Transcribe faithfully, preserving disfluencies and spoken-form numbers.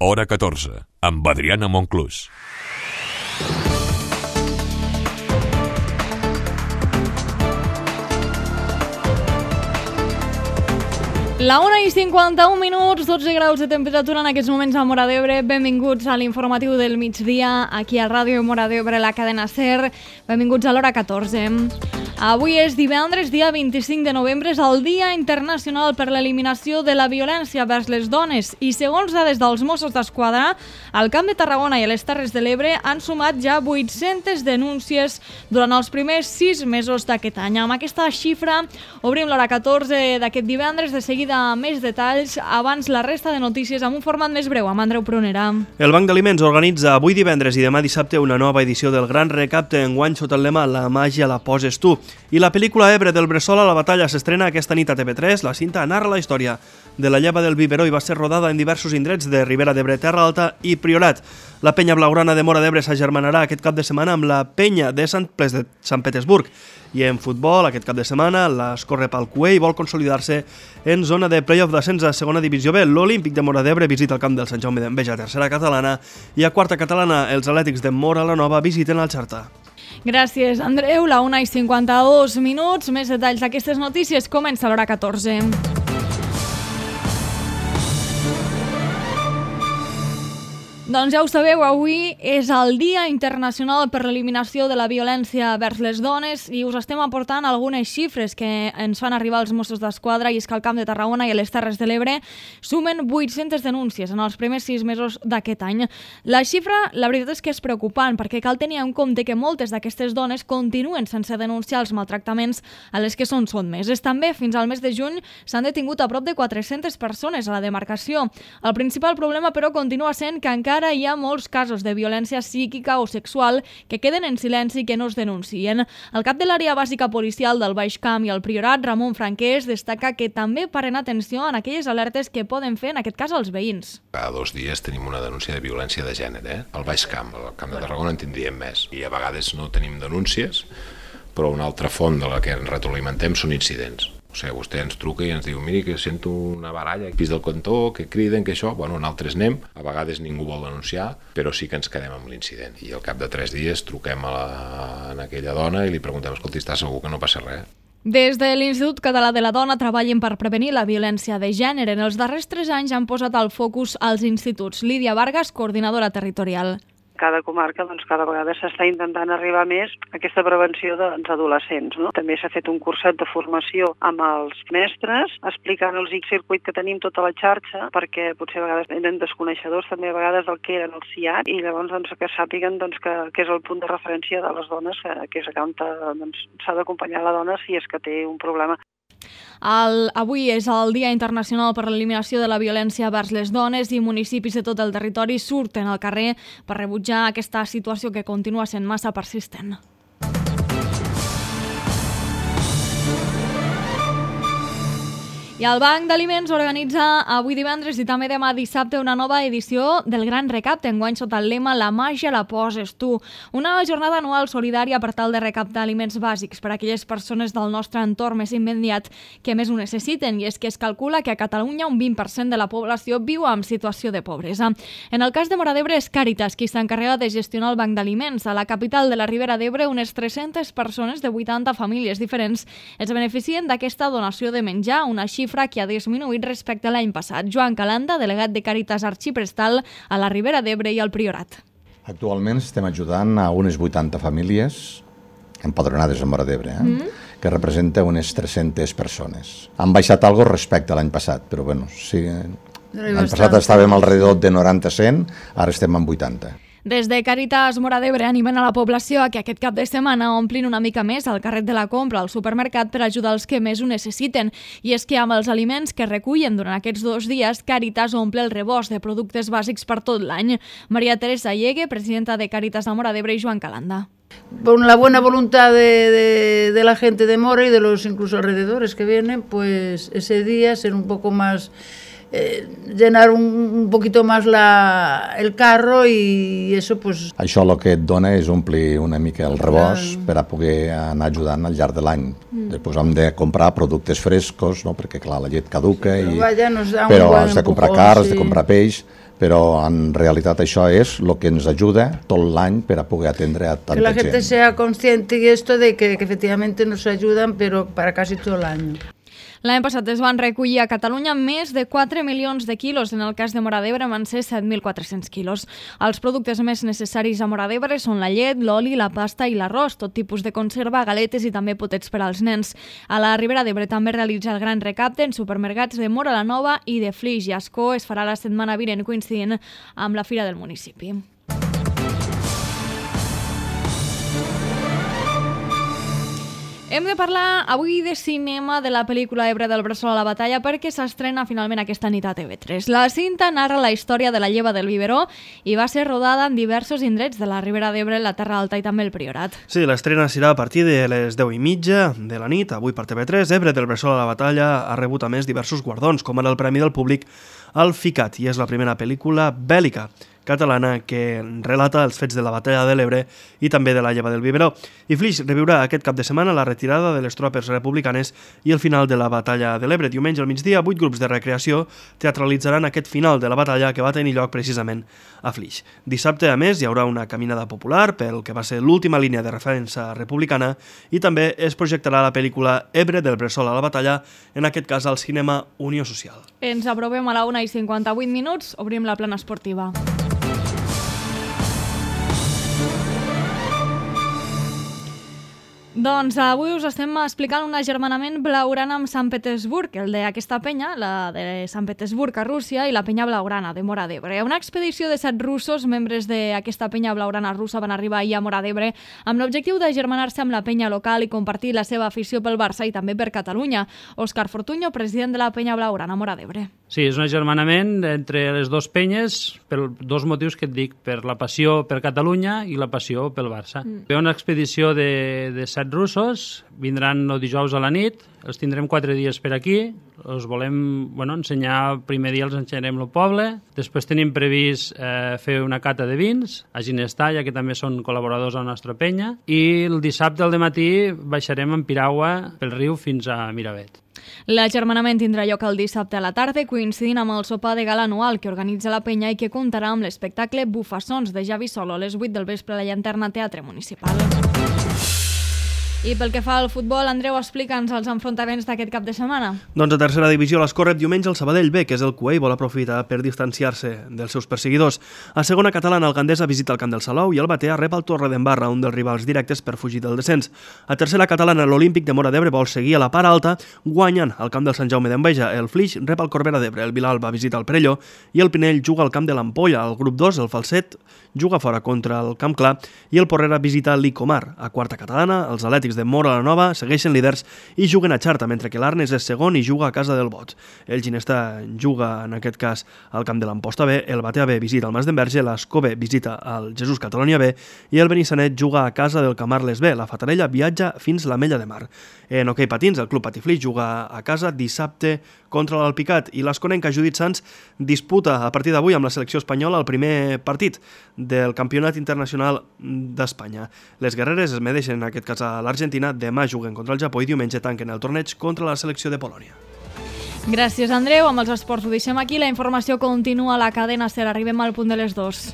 Hora catorze, amb Adriana Monclús. La una i cinquanta-un minuts, dotze graus de temperatura en aquests moments a Móra d'Ebre. Benvinguts a l'informatiu del migdia, aquí a Ràdio Móra d'Ebre, la cadena SER. Benvinguts a l'hora catorze. Avui és divendres, dia vint-i-cinc de novembre, és el Dia Internacional per l'Eliminació de la Violència vers les Dones i, segons dades dels Mossos d'Esquadra, al Camp de Tarragona i a les Terres de l'Ebre han sumat ja vuit-centes denúncies durant els primers sis mesos d'aquest any. Amb aquesta xifra obrim l'hora catorze d'aquest divendres. De seguida més detalls, abans la resta de notícies amb un format més breu, amb Andreu Prunera. El Banc d'Aliments organitza avui divendres i demà dissabte una nova edició del Gran Recapte, enguany sota el lema La màgia la poses tu. I la pel·lícula Ebre del Bressol a la batalla s'estrena aquesta nit a T V tres. La cinta narra la història de la lleva del biberó i va ser rodada en diversos indrets de Ribera d'Ebre, Terra Alta i Priorat. La penya blaugrana de Móra d'Ebre s'agermanarà aquest cap de setmana amb la penya de Sant Ples de Sant Petersburg. I en futbol, aquest cap de setmana, l'Escorre-Palcué vol consolidar-se en zona de play-off d'ascens a segona divisió B. L'Olímpic de Móra d'Ebre visita el camp del Sant Jaume d'Enveja, tercera catalana, i a quarta catalana els Atlètics de Móra la Nova visiten el Xarta. Gràcies, Andreu. La una i cinquanta-dos minuts. Més detalls d'aquestes notícies. Comença l'hora catorze. Doncs ja ho sabeu, avui és el Dia Internacional per l'Eliminació de la Violència vers les Dones i us estem aportant algunes xifres que ens fan arribar els Mossos d'Esquadra, i és que al Camp de Tarragona i a les Terres de l'Ebre sumen vuit-centes denúncies en els primers sis mesos d'aquest any. La xifra, la veritat és que és preocupant, perquè cal tenir en compte que moltes d'aquestes dones continuen sense denunciar els maltractaments a les que són sotmeses. També, fins al mes de juny, s'han detingut a prop de quatre-centes persones a la demarcació. El principal problema, però, continua sent que encara hi ha molts casos de violència psíquica o sexual que queden en silenci i que no es denuncien. El cap de l'àrea bàsica policial del Baix Camp i el Priorat, Ramon Franquès, destaca que també paren atenció en aquelles alertes que poden fer, en aquest cas, els veïns. Cada dos dies tenim una denúncia de violència de gènere, eh? Al Baix Camp, al Camp de Tarragona en tindríem més. I a vegades no tenim denúncies, però una altra font de la que ens retroalimentem són incidents. O sigui, vostè ens truca i ens diu, miri que sento una baralla al pis del cantó, que criden, que això... Bueno, nosaltres anem, a vegades ningú vol denunciar, però sí que ens quedem amb l'incident. I al cap de tres dies truquem a, la, a aquella dona i li preguntem, escolta, està segur que no passa res? Des de l'Institut Català de la Dona treballen per prevenir la violència de gènere. En els darrers tres anys han posat el focus als instituts. Lídia Vargas, coordinadora territorial. Cada comarca, doncs, cada vegada s'està intentant arribar més a aquesta prevenció dels adolescents, no? També s'ha fet un curset de formació amb els mestres, explicant els X-circuit que tenim tota la xarxa, perquè potser a vegades eren desconeixedors també a vegades del que eren els C I A T, i llavors doncs, que sàpiguen doncs, que, que és el punt de referència de les dones, que, que és on doncs, s'ha d'acompanyar la dona si és que té un problema. El, avui és el Dia Internacional per l'Eliminació de la Violència vers les Dones i municipis de tot el territori surten al carrer per rebutjar aquesta situació que continua sent massa persistent. I el Banc d'Aliments organitza avui divendres i també demà dissabte una nova edició del Gran Recapte, enguany sota el lema La màgia la poses tu. Una jornada anual solidària per tal de recaptar aliments bàsics per a aquelles persones del nostre entorn més immediat que més ho necessiten, i és que es calcula que a Catalunya un vint per cent de la població viu en situació de pobresa. En el cas de Móra d'Ebre és Càritas qui s'encarrega de gestionar el Banc d'Aliments. A la capital de la Ribera d'Ebre, unes tres-centes persones de vuitanta famílies diferents es beneficien d'aquesta donació de menjar, una xifra que ha disminuït respecte a l'any passat. Joan Calanda, delegat de Càritas Arxiprestal a la Ribera d'Ebre i al Priorat. Actualment estem ajudant a unes vuitanta famílies empadronades a Móra d'Ebre, eh? mm. que representa unes tres-centes persones. Han baixat algo respecte a l'any passat, però bueno, sí, l'any passat estàvem alrededor de noranta a cent, ara estem en vuitanta. Des de Càritas Móra d'Ebre animen a la població a que aquest cap de setmana omplin una mica més el carret de la compra al supermercat per ajudar els que més ho necessiten. I és que amb els aliments que recullen durant aquests dos dies, Càritas omple el rebost de productes bàsics per tot l'any. Maria Teresa Llegue, presidenta de Càritas a Móra d'Ebre, i Joan Calanda. Por la buena voluntad de, de, de la gente de Móra y de los incluso alrededores que vienen, pues ese día ser un poco más... Eh, llenar un, un poquito más la, el carro i eso pues... Això el que et dona és omplir una mica el rebost ah. per a poder anar ajudant al llarg de l'any. Mm. Després hem de comprar productes frescos, no? Perquè clar, la llet caduca, i... Vaja, nos da però un has de comprar carn, has sí. de comprar peix, però en realitat això és el que ens ajuda tot l'any per a poder atendre a tanta que la gent. gente sea consciente y esto de que, que efectivamente nos ayudan, pero para casi todo el año. L'any passat es van recollir a Catalunya més de quatre milions de quilos. En el cas de Móra d'Ebre van ser set mil quatre-cents quilos. Els productes més necessaris a Móra d'Ebre són la llet, l'oli, la pasta i l'arròs, tot tipus de conserva, galetes i també potets per als nens. A la Ribera d'Ebre també realitza el gran recapte en supermercats de Móra la Nova i de Flix i Ascó. Es farà la setmana vinent coincidint amb la Fira del municipi. Hem de parlar avui de cinema de la pel·lícula Ebre del Bressol a la batalla perquè s'estrena finalment aquesta nit a T V tres. La cinta narra la història de la lleva del biberó i va ser rodada en diversos indrets de la Ribera d'Ebre, la Terra Alta i també el Priorat. Sí, l'estrena serà a partir de les deu i mitja de la nit, avui per T V tres. Ebre del Bressol a la batalla ha rebut a més diversos guardons, com ara el Premi del Públic al FICAT, i és la primera pel·lícula bèl·lica catalana que relata els fets de la batalla de l'Ebre i també de la lleva del biberó. I Flix reviurà aquest cap de setmana la retirada de les tropes republicanes i el final de la batalla de l'Ebre. Diumenge al migdia, vuit grups de recreació teatralitzaran aquest final de la batalla que va tenir lloc precisament a Flix. Dissabte, a més, hi haurà una caminada popular pel que va ser l'última línia de defensa republicana i també es projectarà la pel·lícula Ebre del Bressol a la batalla, en aquest cas al cinema Unió Social. Ens aprovem a la una i cinquanta-vuit minuts, obrim la plana esportiva. Doncs avui us estem explicant un agermanament blaugrana amb Sant Petersburg, el d'aquesta penya, la de Sant Petersburg a Rússia, i la penya blaugrana de Móra d'Ebre. Una expedició de set russos, membres d'aquesta penya blaugrana russa, van arribar ahir a Móra d'Ebre amb l'objectiu d'agermanar-se amb la penya local i compartir la seva afició pel Barça i també per Catalunya. Òscar Fortuño, president de la penya blaugrana Móra d'Ebre. Sí, és un agermanament entre les dues penyes per dos motius que et dic, per la passió per Catalunya i la passió pel Barça. Mm. Ve una expedició de, de set russos, vindran el dijous a la nit, els tindrem quatre dies per aquí, els volem bueno, ensenyar, el primer dia els ensenyarem el poble, després tenim previst eh, fer una cata de vins a Ginestar, ja que també són col·laboradors a la nostra penya, i el dissabte al dematí baixarem en piragua pel riu fins a Miravet. L'agermanament tindrà lloc el dissabte a la tarda, coincidint amb el sopar de gala anual que organitza la penya i que comptarà amb l'espectacle Bufassons de Javi Solo a les vuit del vespre a la Llanterna Teatre Municipal. I pel que fa al futbol, Andreu, explica'ns els enfrontaments d'aquest cap de setmana. Doncs a tercera divisió l'Escó rep diumenge el Sabadell B, que és el cuer i vol aprofitar per distanciar-se dels seus perseguidors. A segona catalana, el Gandesa visita el Camp del Salou i el Batea rep el Torredembarra, un dels rivals directes per fugir del descens. A tercera catalana, l'Olímpic de Móra d'Ebre vol seguir a la part alta, guanyant al Camp del Sant Jaume d'Enveja. El Flix rep el Corbera d'Ebre, el Vilalba visita el Perelló i el Pinell juga al Camp de l'Ampolla. Al grup dos, el Falset juga fora contra el Camp Clar i el Porrera visita l'Icomar. A quarta catalana, els Atlètics de Móra la Nova segueixen líders i juguen a Xarta, mentre que l'Arnes és segon i juga a casa del Bots. El Ginestar juga, en aquest cas, al Camp de l'Amposta B, el Batea B visita el Mas d'Enverge, l'Escó B visita el Jesús Catalonia B i el Benissanet juga a casa del Camarles B. La Fatarella viatja fins la Mella de Mar. En hoquei patins, el Club Patiflix juga a casa dissabte contra l'Alpicat i l'Esconenca Judit Sans disputa a partir d'avui amb la selecció espanyola el primer partit del Campionat Internacional d'Espanya. Les guerreres es medeixen, en aquest cas a l'Argentina, demà juguen contra el Japó i diumenge tanquen el torneig contra la selecció de Polònia. Gràcies, Andreu. Amb els esports ho deixem aquí. La informació continua a la cadena SER. Arribem al punt de les dues.